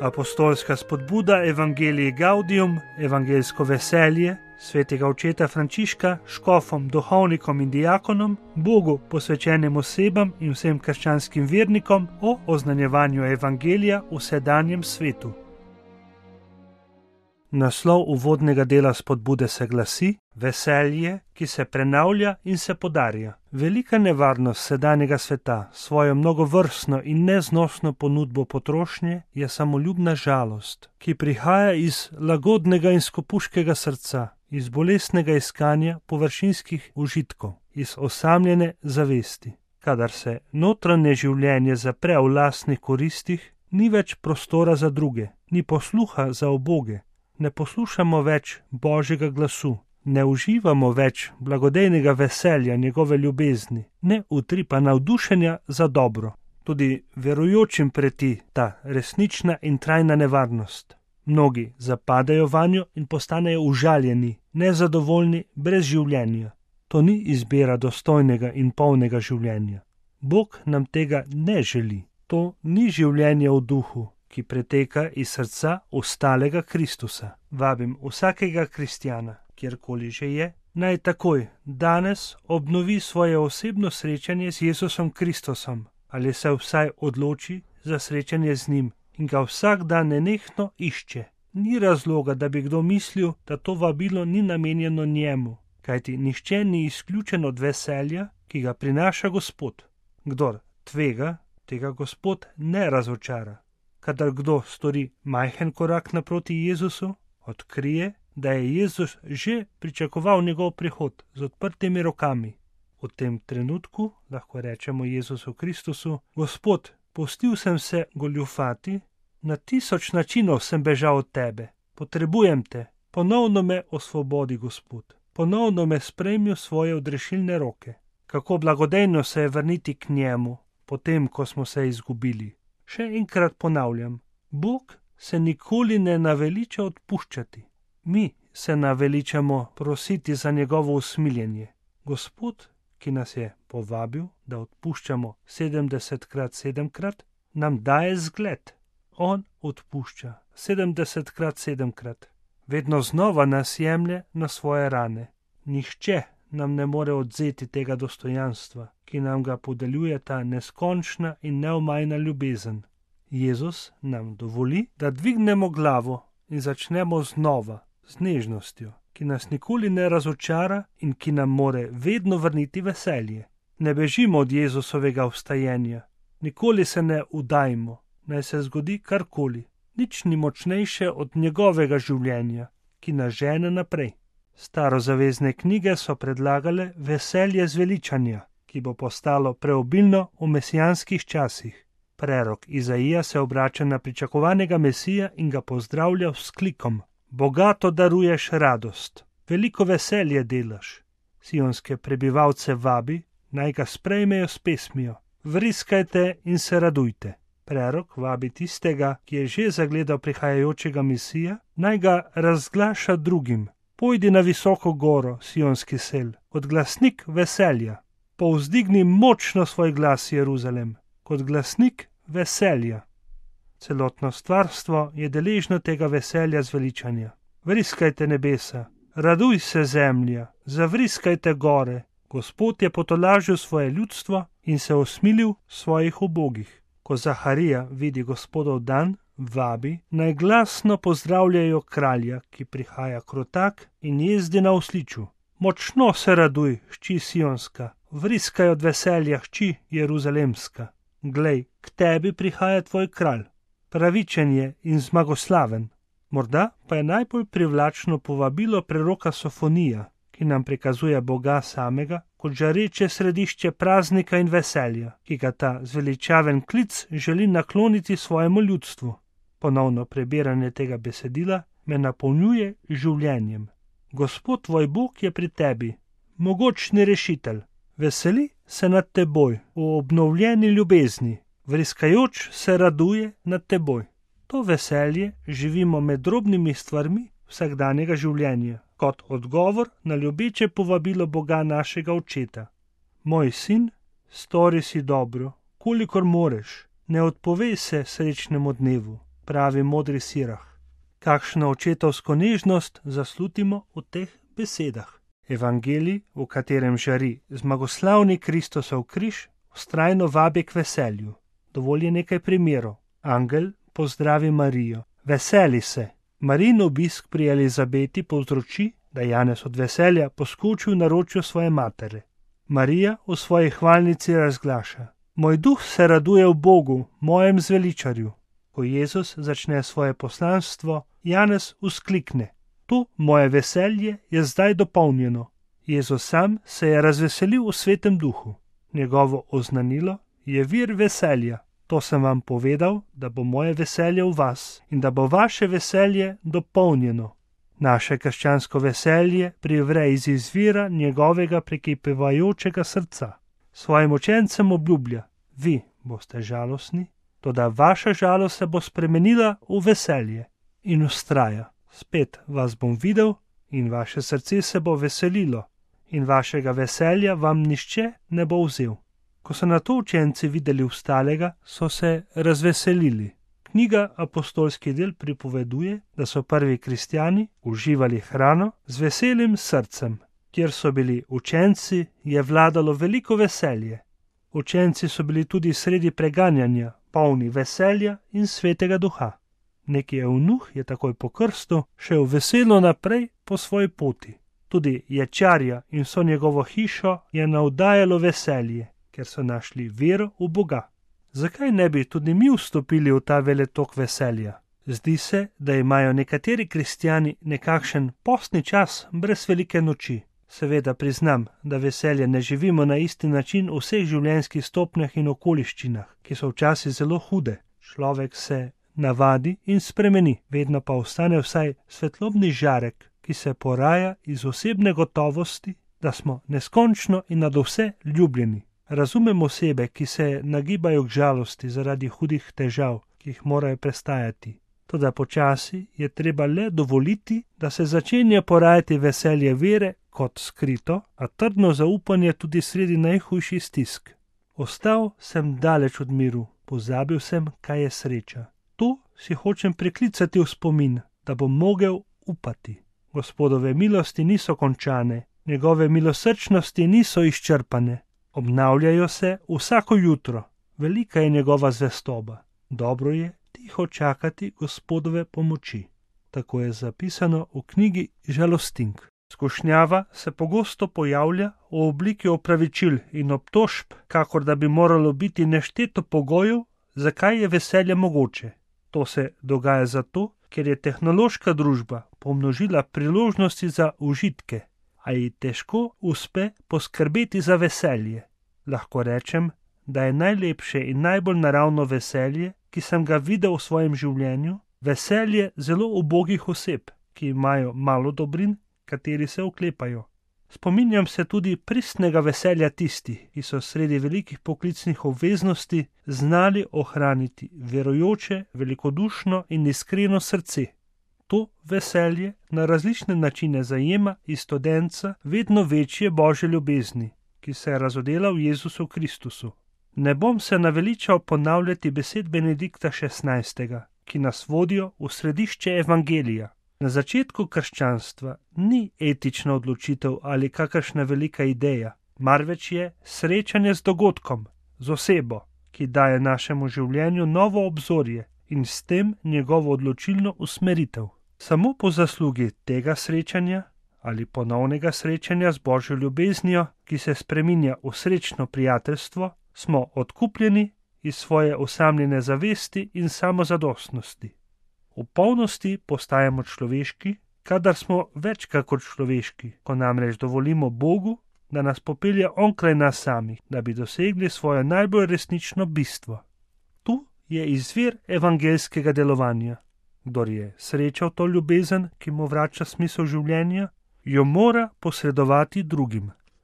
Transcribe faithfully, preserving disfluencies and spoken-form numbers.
Apostolska spodbuda Evangelii Gaudium, evangeljsko veselje, svetega očeta Frančiška, škofom, duhovnikom in diakonom, Bogu posvečenim osebam in vsem krščanskim vernikom o oznanjevanju evangelija v sedanjem svetu. Naslov uvodnega dela spodbude se glasi: Veselje, ki se prenavlja in se podarja. Velika nevarnost sedanjega sveta s svojo mnogovrstno in neznosno ponudbo potrošnje je samoljubna žalost, ki prihaja iz lagodnega in skopuškega srca, iz bolestnega iskanja površinskih užitkov, iz osamljene zavesti. Kadar se notranje življenje zapre v lastnih koristih, ni več prostora za druge, ni posluha za uboge, ne poslušamo več Božjega glasu, ne uživamo več blagodejnega veselja njegove ljubezni, ne utripa navdušenja za dobro. Tudi verujočim preti ta resnična in trajna nevarnost. Mnogi zapadajo vanjo in postanejo užaljeni, nezadovoljni, brez življenja. To ni izbira dostojnega in polnega življenja. Bog nam tega ne želi. To ni življenje v duhu, ki preteka iz srca ostalega Kristusa. Vabim vsakega kristjana, kjerkoli že je, naj takoj, danes obnovi svoje osebno srečanje z Jezusom Kristusom ali se vsaj odloči za srečanje z njim in ga vsak dan nenehno išče. Ni razloga, da bi kdo mislil, da to vabilo ni namenjeno njemu, kajti nihče ni izključen od veselja, ki ga prinaša Gospod. Kdor tvega, tega Gospod ne razočara. Kadar kdo stori majhen korak naproti Jezusu, odkrije, da je Jezus že pričakoval njegov prihod z odprtimi rokami. V tem trenutku lahko rečemo Jezusu Kristusu: Gospod, pustil sem se goljufati, na tisoč načinov sem bežal od tebe, potrebujem te, ponovno me osvobodi, Gospod, ponovno me sprejmi v svoje odrešilne roke. Kako blagodejno se je vrniti k njemu, potem, ko smo se izgubili. Še enkrat ponavljam, Bog se nikoli ne naveliča odpuščati. Mi se naveličamo prositi za njegovo usmiljenje. Gospod, ki nas je povabil, da odpuščamo sedemdesetkrat sedemkrat, nam daje zgled. On odpušča sedemdesetkrat sedemkrat. Vedno znova nas jemlje na svoje rane. Nihče nam ne more odvzeti tega dostojanstva, ki nam ga podeljuje ta neskončna in neomajna ljubezen. Jezus nam dovoli, da dvignemo glavo in začnemo znova, z nežnostjo, ki nas nikoli ne razočara in ki nam more vedno vrniti veselje. Ne bežimo od Jezusovega vstajenja, nikoli se ne udajmo, naj se zgodi karkoli. Nič ni močnejše od njegovega življenja, ki nas žene naprej. Starozavezne knjige so predlagale veselje zveličanja, ki bo postalo preobilno v mesijanskih časih. Prerok Izaija se obrača na pričakovanega Mesija in ga pozdravlja s klikom: Bogato daruješ radost, veliko veselje delaš. Sionske prebivalce vabi, naj ga sprejmejo s pesmijo: Vriskajte in se radujte. Prerok vabi tistega, ki je že zagledal prihajajočega Mesija, naj ga razglaša drugim. Pojdi na visoko goro, sionski sel, kot glasnik veselja. Povzdigni močno svoj glas, Jeruzalem, kot glasnik veselja. Celotno stvarstvo je deležno tega veselja zveličanja. Vriskajte nebesa, raduj se zemlja, zavriskajte gore. Gospod je potolažil svoje ljudstvo in se osmilil svojih ubogih. Ko Zaharija vidi Gospodov dan, vabi, naj glasno pozdravljajo kralja, ki prihaja krotak in jezdi na osliču. Močno se raduj, hči sionska, vriskaj od veselja, hči jeruzalemska. Glej, k tebi prihaja tvoj kralj, pravičen je in zmagoslaven. Morda pa je najbolj privlačno povabilo preroka Sofonija, ki nam prikazuje Boga samega kot žareče središče praznika in veselja, ki ga ta zveličaven klic želi nakloniti svojemu ljudstvu. Ponovno prebiranje tega besedila me napolnjuje življenjem. Gospod tvoj Bog je pri tebi, mogočni rešitelj. Veseli se nad teboj v obnovljeni ljubezni, vriskajoč se raduje nad teboj. To veselje živimo med drobnimi stvarmi vsakdanjega življenja, kot odgovor na ljubeče povabilo Boga našega očeta. Moj sin, stori si dobro, kolikor moreš, ne odpovej se srečnemu dnevu. pravi modri sirah. Kakšno očetovsko nežnost zaslutimo v teh besedah. Evangelij, v katerem žari zmagoslavni Kristusov križ, vztrajno vabi k veselju. Dovolj je nekaj primerov. Angel pozdravi Marijo. Veseli se. Marijin obisk pri Elizabeti povzroči, da Janez od veselja poskoči v naročju svoje matere. Marija v svoji hvalnici razglaša: Moj duh se raduje v Bogu, mojem zveličarju. Ko Jezus začne svoje poslanstvo, Janez vzklikne: To moje veselje je zdaj dopolnjeno. Jezus sam se je razveselil v svetem duhu. Njegovo oznanilo je vir veselja. To sem vam povedal, da bo moje veselje v vas in da bo vaše veselje dopolnjeno. Naše krščansko veselje privre iz izvira njegovega prekipevajočega srca. Svojim učencem obljublja: Vi boste žalostni, toda vaša žalost se bo spremenila v veselje. In vztraja: Spet vas bom videl in vaše srce se bo veselilo in vašega veselja vam nihče ne bo vzel. Ko so nato učenci videli vstalega, so se razveselili. Knjiga Apostolski del pripoveduje, da so prvi kristjani uživali hrano z veselim srcem. Kjer so bili učenci, je vladalo veliko veselje. Učenci so bili tudi sredi preganjanja, polni veselja in svetega duha. Neki eunuh je takoj po krstu šel veselo naprej po svoji poti. Tudi ječarja in vso njegovo hišo je navdajalo veselje, ker so našli vero v Boga. Zakaj ne bi tudi mi vstopili v ta veletok veselja? Zdi se, da imajo nekateri kristjani nekakšen postni čas brez velike noči. Seveda priznam, da veselje ne živimo na isti način v vseh življenjskih stopnjah in okoliščinah, ki so včasih zelo hude. Človek se navadi in spremeni, vedno pa ostane vsaj svetlobni žarek, ki se poraja iz osebne gotovosti, da smo neskončno in nadvse ljubljeni. Razumem osebe, ki se nagibajo k žalosti zaradi hudih težav, ki jih morajo prestajati. Toda počasi je treba le dovoliti, da se začenja porajati veselje vere kot skrito, a trdno zaupanje tudi sredi najhujših stisk. Ostal sem daleč od miru, pozabil sem, kaj je sreča. To si hočem priklicati v spomin, da bom mogel upati. Gospodove milosti niso končane, njegove milosrčnosti niso izčrpane. Obnavljajo se vsako jutro, velika je njegova zvestoba. Dobro je tiho čakati Gospodove pomoči. Tako je zapisano v knjigi Žalostink. Skušnjava se pogosto pojavlja v obliki opravičil in obtožb, kakor da bi moralo biti nešteto pogojev, zakaj je veselje mogoče. To se dogaja zato, ker je tehnološka družba pomnožila priložnosti za užitke, a ji težko uspe poskrbeti za veselje. Lahko rečem, da je najlepše in najbolj naravno veselje, ki sem ga videl v svojem življenju, veselje zelo ubogih oseb, ki imajo malo dobrin, kateri se oklepajo. Spominjam se tudi pristnega veselja tistih, ki so sredi velikih poklicnih obveznosti znali ohraniti verujoče, velikodušno in iskreno srce. To veselje na različne načine zajema iz studenca vedno večje božje ljubezni, ki se je razodela v Jezusu Kristusu. Ne bom se naveličal ponavljati besed Benedikta šestnajstega, ki nas vodijo v središče evangelija. Na začetku krščanstva ni etična odločitev ali kakršna velika ideja, marveč je srečanje z dogodkom, z osebo, ki daje našemu življenju novo obzorje in s tem njegovo odločilno usmeritev. Samo po zaslugi tega srečanja ali ponovnega srečanja z božjo ljubeznijo, ki se spreminja v srečno prijateljstvo, smo odkupljeni iz svoje osamljene zavesti in samozadostnosti. V polnosti postajamo človeški, kadar smo več kakor človeški, ko namreč dovolimo Bogu, da nas popelje onkraj nas samih, da bi dosegli svoje najbolj resnično bistvo. Tu je izvir evangelskega delovanja. Kdor je srečal to ljubezen, ki mu vrača smisel življenja, jo mora posredovati drugim.